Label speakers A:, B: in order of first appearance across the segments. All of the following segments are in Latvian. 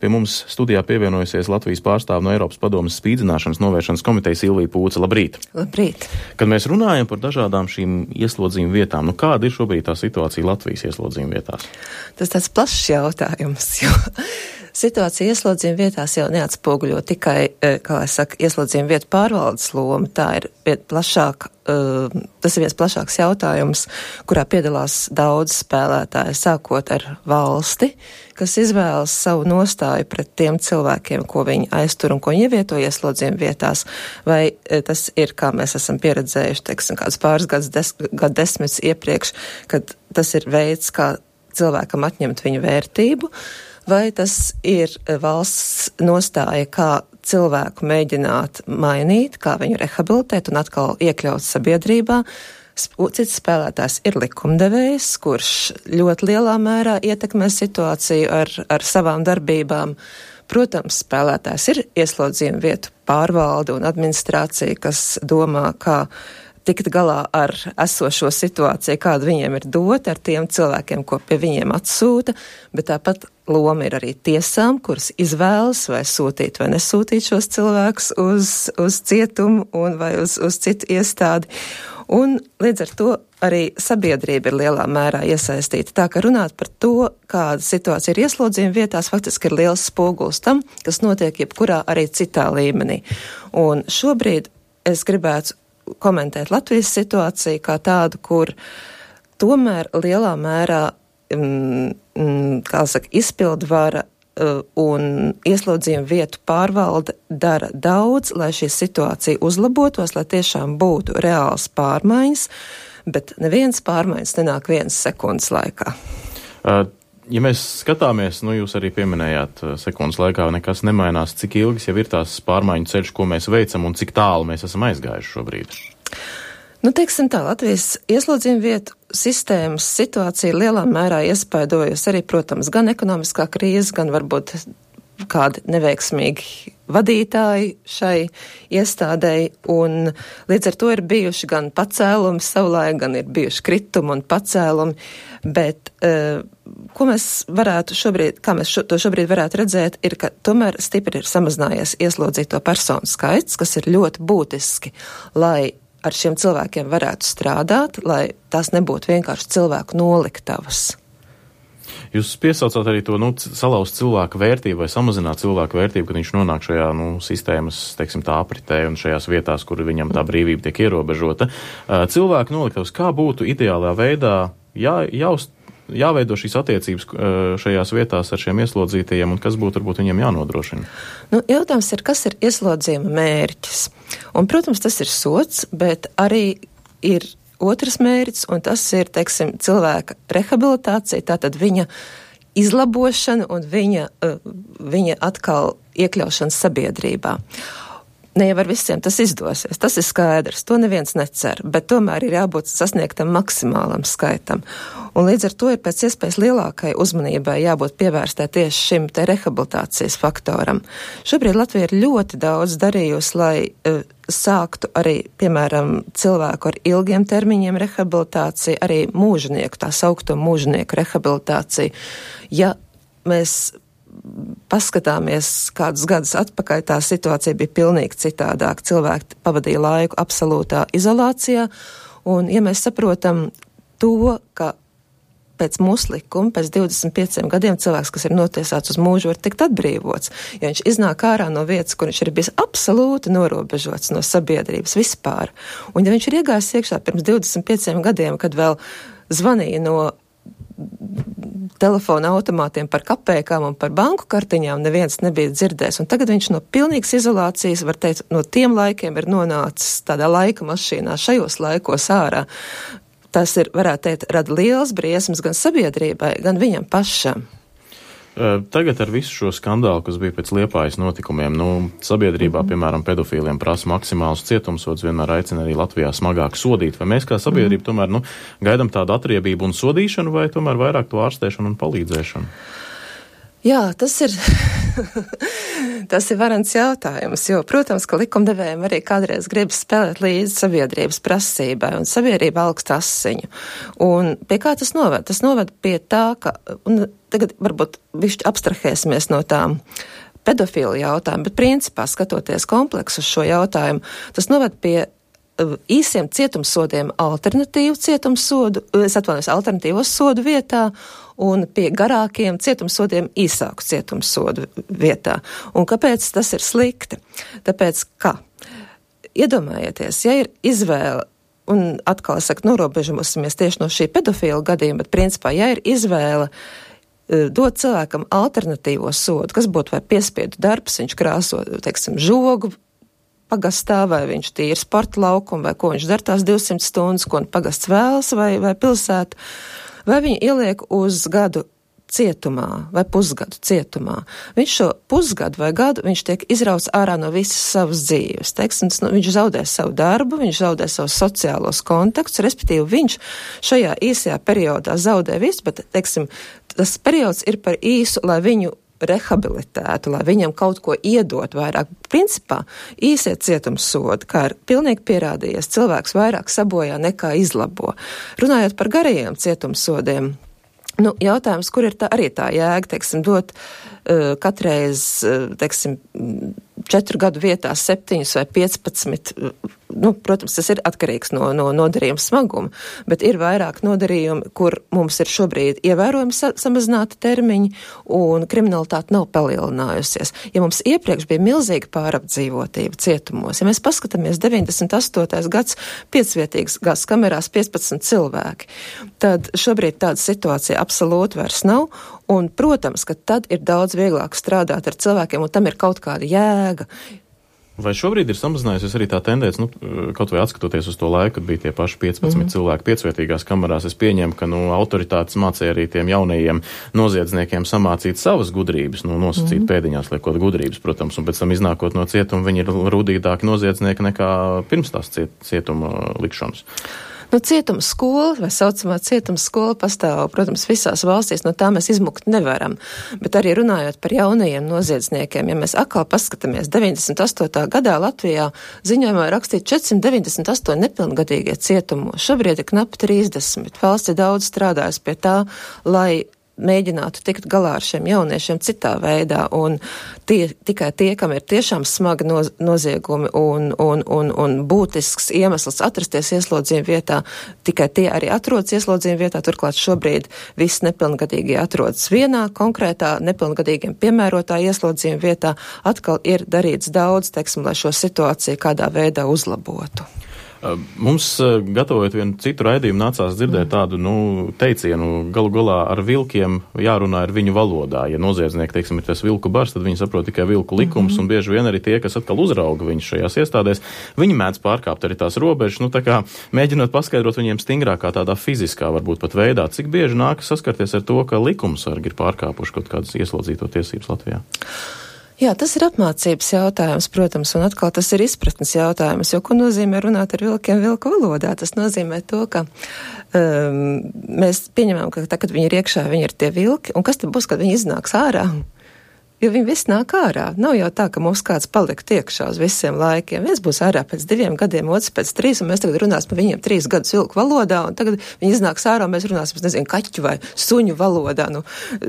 A: Pie mums studijā pievienojusies Latvijas pārstāve no Eiropas padomes spīdzināšanas novēršanas komitejas Ilvija Pūce. Labrīt!
B: Labrīt!
A: Kad mēs runājam par dažādām šīm ieslodzījuma vietām, kāda ir šobrīd tā situācija Latvijas ieslodzījuma vietās?
B: Tas tāds plašs jautājums, jo situācija ieslodzījuma vietās jau neatspoguļo tikai, ieslodzījuma vietu pārvaldes loma. Tā ir tas ir viens plašāks jautājums, kurā piedalās daudz spēlētāji, sākot ar valsti, kas izvēlas savu nostāju pret tiem cilvēkiem, ko viņi aiztur un ko viņi ievieto ieslodzījuma vietās, vai tas ir, kā mēs esam pieredzējuši, teiksim, kāds pāris gadu desmitus iepriekš, kad tas ir veids, kā cilvēkam atņemt viņu vērtību, vai tas ir valsts nostāja, kā cilvēku mēģināt mainīt, kā viņu rehabilitēt un atkal iekļaut sabiedrībā. Cits spēlētājs ir likumdevējs, kurš ļoti lielā mērā ietekmē situāciju ar savām darbībām. Protams, spēlētājs ir ieslodzījuma vietu pārvalde un administrācija, kas domā, kā tikt galā ar esošo situāciju, kāda viņiem ir dota ar tiem cilvēkiem, ko pie viņiem atsūta, bet tāpat loma ir arī tiesām, kuras izvēlas vai sūtīt vai nesūtīt šos cilvēkus uz cietumu vai uz citu iestādi. Un līdz ar to arī sabiedrība ir lielā mērā iesaistīta. Tā ka runāt par to, kāda situācija ir ieslodzījuma vietās, faktiski ir liels spogulis tam, kas notiek jebkurā arī citā līmenī. Un šobrīd es gribētu komentēt Latvijas situāciju kā tādu, kur tomēr lielā mērā, izpildvara un ieslodzījuma vietu pārvalde dara daudz, lai šī situācija uzlabotos, lai tiešām būtu reāls pārmaiņas, bet neviens pārmaiņas nenāk vienas sekundes laikā.
A: Ja mēs skatāmies, jūs arī pieminējāt sekundes laikā, nekas nemainās, cik ilgas jau ir tās pārmaiņu ceļš, ko mēs veicam un cik tālu mēs esam aizgājuši šobrīd?
B: Teiksim tā, Latvijas ieslodzījuma vietu sistēmas situācija lielā mērā iespaidojas arī, protams, gan ekonomiskā krīze, gan varbūt kādi neveiksmīgi vadītāji šai iestādēji, un līdz ar to ir bijuši gan pacēlumi savulaik, gan ir bijuši kritumi un pacēlumi, bet ko mēs varētu šobrīd, kā mēs to šobrīd varētu redzēt, ir, ka tomēr stipri ir samazinājies ieslodzīto personu skaits, kas ir ļoti būtiski, lai ar šiem cilvēkiem varētu strādāt, lai tās nebūtu vienkārši cilvēku noliktavas.
A: Jūs piesaucāt arī to, salauzt cilvēku vērtību vai samazināt cilvēku vērtību, kad viņš nonāk šajā, sistēmas, teiksim, tā apritē un šajās vietās, kur viņam tā brīvība tiek ierobežota. Cilvēku noliktavas, kā būtu ideālā veidā jāveido šīs attiecības šajās vietās ar šiem ieslodzītajiem un kas būtu varbūt viņiem jānodrošina?
B: Jautājums ir, kas ir ieslodzījuma mērķis? Un, protams, tas ir sods, bet arī ir otrs mērķis, un tas ir, teiksim, cilvēka rehabilitācija, tātad viņa izlabošana un viņa atkal iekļaušana sabiedrībā. Ne jau ar visiem tas izdosies, tas ir skaidrs, to neviens necer, bet tomēr ir jābūt sasniegtam maksimālam skaitam. Un līdz ar to ir pēc iespējas lielākai uzmanībai jābūt pievērstai tieši šim te rehabilitācijas faktoram. Šobrīd Latvija ir ļoti daudz darījusi, lai sāktu arī, piemēram, cilvēku ar ilgiem termiņiem rehabilitāciju, arī mūžnieku, tā saukto mūžnieku rehabilitāciju. Ja mēs paskatāmies kādus gadus atpakaļ, tā situācija bija pilnīgi citādāk. Cilvēki pavadīja laiku absolūtā izolācijā, un ja mēs saprotam to, ka pēc mūsu likuma, pēc 25 gadiem cilvēks, kas ir notiesāts uz mūžu, var tikt atbrīvots, jo viņš iznāk ārā no vietas, kur viņš ir bijis absolūti norobežots no sabiedrības vispār. Un ja viņš ir iegājis iekšā pirms 25 gadiem, kad vēl zvanīja no telefona automātiem par kapēkām un par banku kartiņām, neviens nebija dzirdējis. Un tagad viņš no pilnīgas izolācijas, var teikt, no tiem laikiem ir nonācis tādā laika mašīnā, šajos laikos ārā. Tas ir, varētu teikt, rada liels briesmas gan sabiedrībai, gan viņam pašam.
A: Tagad ar visu šo skandālu, kas bija pēc Liepājas notikumiem, sabiedrībā, piemēram, pedofīliem prasa maksimālus cietumsods, vienmēr aicina arī Latvijā smagāk sodīt. Vai mēs kā sabiedrība tomēr, gaidam tādu atriebību un sodīšanu, vai tomēr vairāk to ārstēšanu un palīdzēšanu?
B: Jā, tas ir varants jautājums, jo, protams, ka likumdevējiem arī kādreiz gribas spēlēt līdzi sabiedrības prasībai, un sabiedrība augst asiņu. Un pie kā tas noved? Tas noved pie tā, ka tagad varbūt višķi abstrahēsimies no tām pedofilu jautājumu, bet principā skatoties kompleksu uz šo jautājumu, tas noved pie īsiem cietumsodiem alternatīvos sodu vietā un pie garākiem cietumsodiem īsāku cietumsodu vietā. Un kāpēc tas ir slikti? Tāpēc, ka, iedomājieties, ja ir izvēle, un atkal es saku, norobežosimies tieši no šī pedofilu gadījuma, bet principā, ja ir izvēle dot cilvēkam alternatīvo sodu, kas būtu vai piespiedu darbs, viņš krāso, teiksim, žogu pagastā, vai viņš tīri sporta laukumu, vai ko viņš dara tās 200 stundas, ko pagasts vēlas, vai pilsēta, vai viņu ieliek uz gadu cietumā, vai pusgadu cietumā. Viņš šo pusgadu vai gadu, viņš tiek izrauts ārā no visas savas dzīves. Teiksim, viņš zaudē savu darbu, viņš zaudē savus sociālos kontaktus, respektīvi viņš šajā īsajā periodā zaudē visu, bet, teiksim, tas periods ir par īsu, lai viņu rehabilitētu, lai viņam kaut ko iedot vairāk. Principā īsie cietumsodi, kā ir pilnīgi pierādījies, cilvēks vairāk sabojā nekā izlabo. Runājot par garajiem cietumsodiem, jautājums, kur ir arī tā jēga, teiksim, dot katreiz, teiksim, 4 gadu vietā 7 vai 15, protams, tas ir atkarīgs no nodarījuma smaguma, bet ir vairāk nodarījumi, kur mums ir šobrīd ievērojami samazināti termiņi un kriminalitāte nav palielinājusies. Ja mums iepriekš bija milzīga pārapdzīvotība cietumos, ja mēs paskatāmies 98. gads 5-vietīgas gaz kamerās 15 cilvēki, tad šobrīd tāda situācija absolūti vairs nav. Un, protams, ka tad ir daudz vieglāk strādāt ar cilvēkiem, un tam ir kaut kāda jēga.
A: Vai šobrīd ir samazinājusies arī tā tendence, kaut vai atskatoties uz to laiku, kad bija tie paši 15 cilvēki 5-vietīgās kamerās, es pieņemu, ka, autoritātes mācīja arī tiem jaunajiem noziedzniekiem samācīt savas gudrības, nosacīt pēdiņās liekot gudrības, protams, un pēc tam iznākot no cietuma, viņi ir rudītāki noziedznieki nekā pirms tās cietuma likšanas.
B: Cietuma skola, vai saucamā cietuma skola pastāv, protams, visās valstīs, no tā mēs izmukt nevaram. Bet arī runājot par jaunajiem noziedzniekiem, ja mēs atkal paskatāmies 98. gadā Latvijā ziņojumā rakstīt 498 nepilngadīgie cietumos. Šobrīd ir knapi 30. Valsts ir daudz strādājis pie tā, lai mēģinātu tikt galā ar šiem jauniešiem citā veidā, un tikai tie, kam ir tiešām smagi noziegumi un būtisks iemesls atrasties ieslodzījuma vietā, tikai tie arī atrodas ieslodzījuma vietā, turklāt šobrīd visi nepilngadīgie atrodas vienā konkrētā nepilngadīgiem piemērotā ieslodzījuma vietā, atkal ir darīts daudz, teiksim, lai šo situāciju kādā veidā uzlabotu.
A: Mums, gatavojot vienu citu raidījumu, nācās dzirdēt tādu, teicienu, galu galā ar vilkiem jārunā ar viņu valodā. Ja noziedznieki, teiksim, ir tas vilku bars, tad viņi saprot tikai vilku likums, un bieži vien arī tie, kas atkal uzrauga viņus šajās iestādēs, viņi mēdz pārkāpt arī tās robežas, tā kā mēģinot paskaidrot viņiem stingrākā tādā fiziskā, varbūt pat veidā, cik bieži nākas saskarties ar to, ka likumsargi ir pārkāpuši kaut kādas ieslodzīto tiesības Latvijā.
B: Jā, tas ir apmācības jautājums, protams, un atkal tas ir izpratnes jautājums, jo ko nozīmē runāt ar vilkiem vilku valodā? Tas nozīmē to, ka mēs pieņemam, ka tā, kad viņi ir iekšā, viņi ir tie vilki, un kas tad būs, kad viņi iznāks ārā? Jo viņi visi nāk ārā. Nav jau tā, ka mums kāds palikt iekšā uz visiem laikiem. Viens būs ārā pēc 2 gadiem, otrs pēc 3, un mēs tagad runāsim par viņiem 3 gadus vilku valodā, un tagad viņi iznāks ārā, un mēs runāsim, kaķu vai suņu valodā.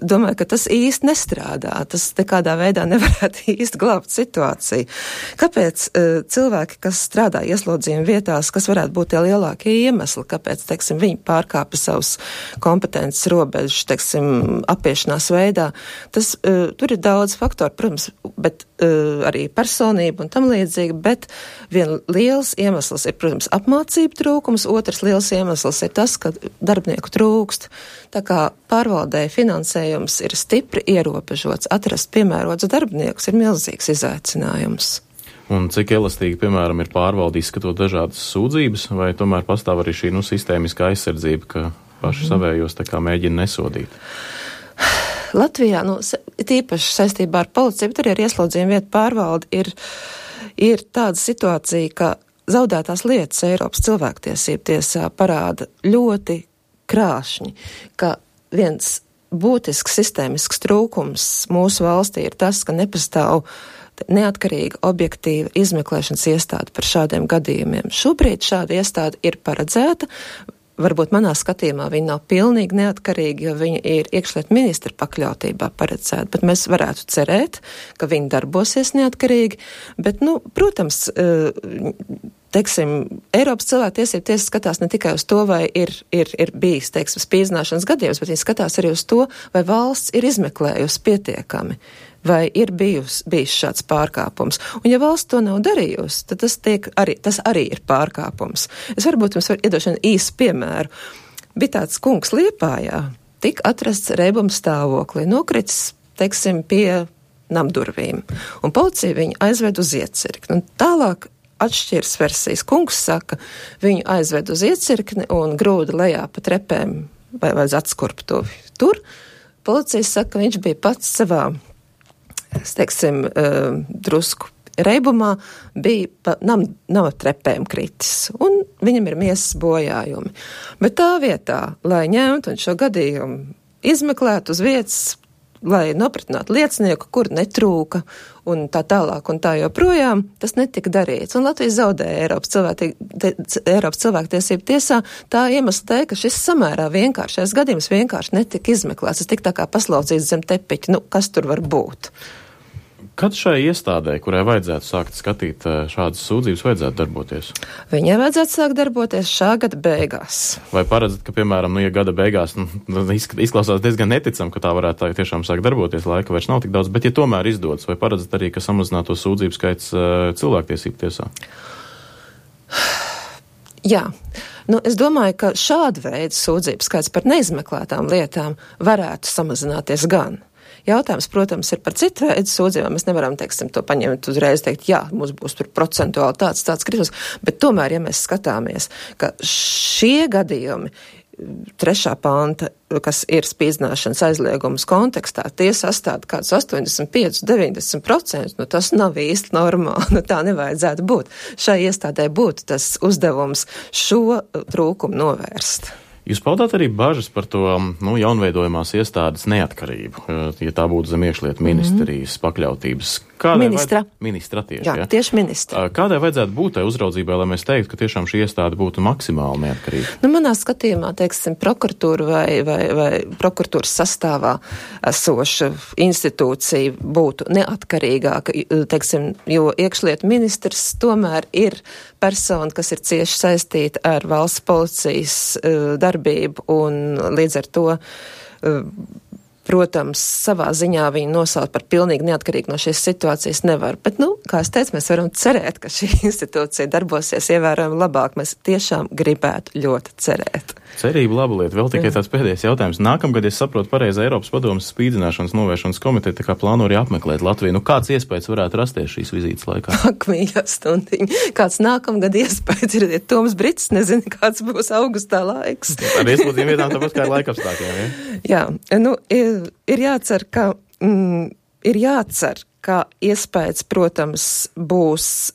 B: Domāju, ka tas īsti nestrādā. Tas nekādā veidā nevarētu īsti glābt situāciju. Kāpēc cilvēki, kas strādā ieslodzījuma vietās, kas varētu būt tie lielākie iemesli, kāpēc, teiksim, viņi pārkāpa savus kompetences robežas, teiksim, apiešanās veidā, tas tur ir daudz faktori, protams, bet arī personība un tam līdzīgi, bet viens liels iemesls ir, protams, apmācību trūkums, otrs liels iemesls ir tas, ka darbinieku trūkst. Tā kā pārvaldēja finansējums ir stipri ierobežots, atrast piemērots darbiniekus ir milzīgs izaicinājums.
A: Un cik elastīgi, piemēram, ir pārvalde izskatot dažādas sūdzības, vai tomēr pastāv arī šī sistēmiskā aizsardzība, ka paši savējos tā kā mēģina nesodīt?
B: Latvijā, tīpaši saistībā ar policiju, bet arī ar ieslodzījuma vietu pārvaldi ir tāda situācija, ka zaudētās lietas Eiropas cilvēktiesību tiesā parāda ļoti krāšņi, ka viens būtisks sistēmisks trūkums mūsu valstī ir tas, ka nepastāv neatkarīga, objektīva izmeklēšanas iestāde par šādiem gadījumiem. Šobrīd šāda iestāde ir paredzēta. varbūt manā skatījumā viņi nav pilnīgi neatkarīgi, jo viņi ir iekšlietu ministra pakļautībā paredzēti, bet mēs varētu cerēt, ka viņi darbosies neatkarīgi, bet, protams, teiksim, Eiropas cilvēktiesību tiesa skatās ne tikai uz to, vai ir bijis, teiksim, spīdzināšanas gadījums, bet viņi skatās arī uz to, vai valsts ir izmeklējusi pietiekami, vai ir bijis šāds pārkāpums. Un ja valsts to nav darījusi, tad tas arī ir pārkāpums. Es varbūt jums iedošu īsu piemēru. Bija tāds kungs Liepājā, tika atrasts reibuma stāvoklī, nokritis, teiksim, pie namdurvīm. Un policija viņu aizved uz iecirkni. Un tālāk atšķiras versijas. Kungs saka, viņu aizved uz iecirkni un grūda lejā pa trepēm vai uz atskurptuvi. Tur policija saka, ka viņš bija pats savā, teiksim, drusku reibumā, bija pa nama trepēm kritis, un viņam ir miesas bojājumi. Bet tā vietā, lai ņemtu un šo gadījumu izmeklētu uz vietas, lai nopratinātu liecinieku, kur netrūka, un tā tālāk un tā joprojām, tas netika darīts. Un Latvija zaudēja Eiropas cilvēktiesību tiesā tā iemesla dēļ, ka šis samērā vienkāršais gadījums vienkārši netika izmeklēts. Tas tika tā kā paslaucīts zem tepiķa. Kas tur var būt?
A: Kad šai iestādē, kurai vajadzētu sākt skatīt šādas sūdzības, vajadzētu darboties?
B: Viņai vajadzētu sākt darboties šā gada beigās.
A: Vai paredzat, ka, piemēram, ja gada beigās izklausās diezgan neticam, ka tā varētu tā tiešām sākt darboties, laika vairs nav tik daudz, bet ja tomēr izdodas, vai paredzat arī, ka samazinātos sūdzību skaits cilvēktiesību tiesā?
B: Jā. Es domāju, ka šāda veida sūdzību skaits par neizmeklētām lietām varētu samazināties gan. Jautājums, protams, ir par citu veidu sūdzībām. Mēs nevaram, teiksim, to paņemt uzreiz, teikt, jā, mums būs tur procentuāli tāds kritums, bet tomēr, ja mēs skatāmies, ka šie gadījumi 3. panta, kas ir spīdzināšanas aizliegums kontekstā, tie sastāv kādus 85–90%, tas nav īsti normāli, tā nevajadzētu būt. Šai iestādē būtu tas uzdevums šo trūkumu novērst.
A: Jūs paudāt arī bažas par to jaunveidojumās iestādes neatkarību, ja tā būtu zem iekšlietu ministrijas pakļautības. Ministra tieši.
B: Jā, tieši ministra.
A: Kādai vajadzētu būt tai uzraudzībai, lai mēs teiktu, ka tiešām šī iestāde būtu maksimāli neatkarīga?
B: Manā skatījumā, teiksim, prokuratūra vai prokuratūras sastāvā esoša institūcija būtu neatkarīgāka, teiksim, jo iekšlietu ministrs tomēr ir persona, kas ir cieši saistīta ar valsts policijas darbību, un līdz ar to, protams, savā ziņā viņu nosaukt par pilnīgi neatkarīgu no šīs situācijas nevar. Bet, kā es teicu, mēs varam cerēt, ka šī institūcija darbosies ievērojami labāk. Mēs tiešām gribētu ļoti cerēt.
A: Cerība laba lieta. Vēl tikai tāds pēdējais jautājums. Nākamgad, es saprotu pareizi, Eiropas padomes spīdzināšanas novēršanas komiteja tā kā plāno arī apmeklēt Latviju. Kāds iespējas varētu rasties šīs vizītes laikā?
B: Ak, mīļā stundiņa. Kāds nākamgad iespējas ir, ja Toms Brits nezina, kāds būs augustā laiks.
A: Ar iespējām vietām tāpat kā ar laikapstākļiem, ja?
B: Jā, ir jācer, ka iespējas, protams, būs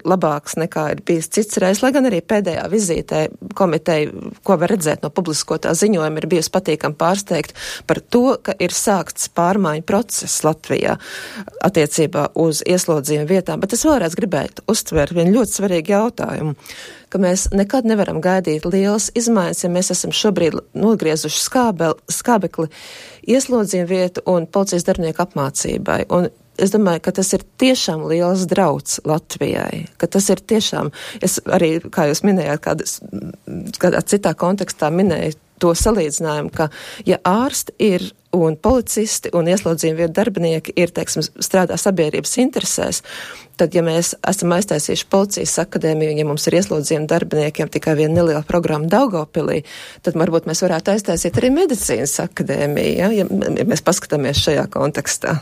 B: labāks nekā ir bijis cits reiz, lai gan arī pēdējā vizītē komiteja, ko var redzēt no publiskotā ziņojuma, ir bijusi patīkami pārsteigt par to, ka ir sākts pārmaiņu process Latvijā attiecībā uz ieslodzījumu vietām, bet es vēlreiz gribētu uztvērt vienu ļoti svarīgu jautājumu, ka mēs nekad nevaram gaidīt lielas izmaiņas, ja mēs esam šobrīd nogriezuši skābekli ieslodzījumu vietu un policijas darbinieku apmācībai. Un es domāju, ka tas ir tiešām liels drauds Latvijai, ka tas ir tiešām, es arī, kā jūs minējāt, kādā citā kontekstā minēju to salīdzinājumu, ka ja ārsti ir un policisti un ieslodzījuma vietu darbinieki ir, teiksim, strādā sabiedrības interesēs, tad, ja mēs esam aiztaisījuši policijas akadēmiju, un ja mums ir ieslodzījuma darbiniekiem tikai viena neliela programma Daugavpilī, tad varbūt mēs varētu aiztaisīt arī medicīnas akadēmiju, ja mēs paskatāmies šajā kontekstā.